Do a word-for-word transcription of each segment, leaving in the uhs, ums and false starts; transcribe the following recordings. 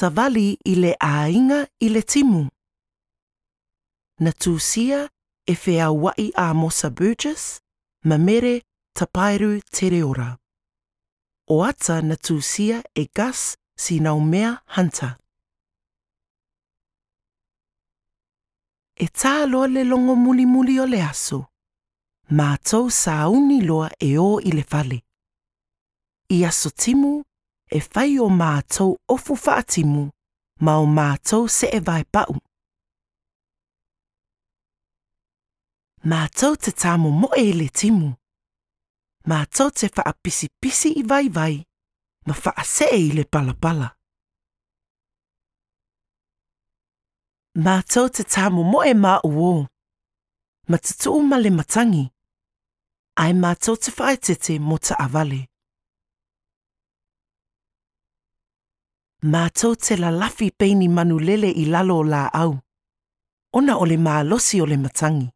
Savali i le aiga i le timu. Na tusia e Feaua'i Amosa Burgess, ma Mere Tapairu Tereora. O ata na tusia e Gus Sinaumea Hunter. E tā loa le logo mulimuli o le aso. Mātou sauni loa e o i le fale. I aso timu, e fai o mātou ofu faatimu, ma o mātou se'e vaepa'u. Mātou te tāmomo'e i le timu. Mātou te whaapisipisi i vaivai, ma whaase'e i le palapala. Mātou te tāmomo'e mā uō. Ma tutu'u ma le matangi. Ai mātou te whaetete mo ta'avale. Mātou te lalafi peini manulele i lalo o lā'au. Ona o le malosi o le matangi.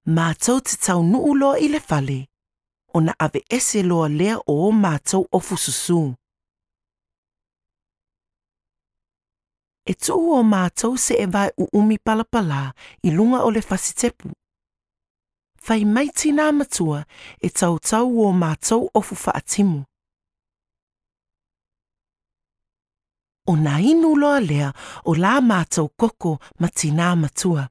Mātou te taunu'u loa i le fale, ona ave'ese loa lea o o mātou ofu susū. E tu'u o mātou se'e vae u'umi palapalā i luga o le fasitepu. Fai mai tinā matua e tautau o mātou ofu fa'atimu. O nā inu loa lea o la mātou koko ma tinā matua.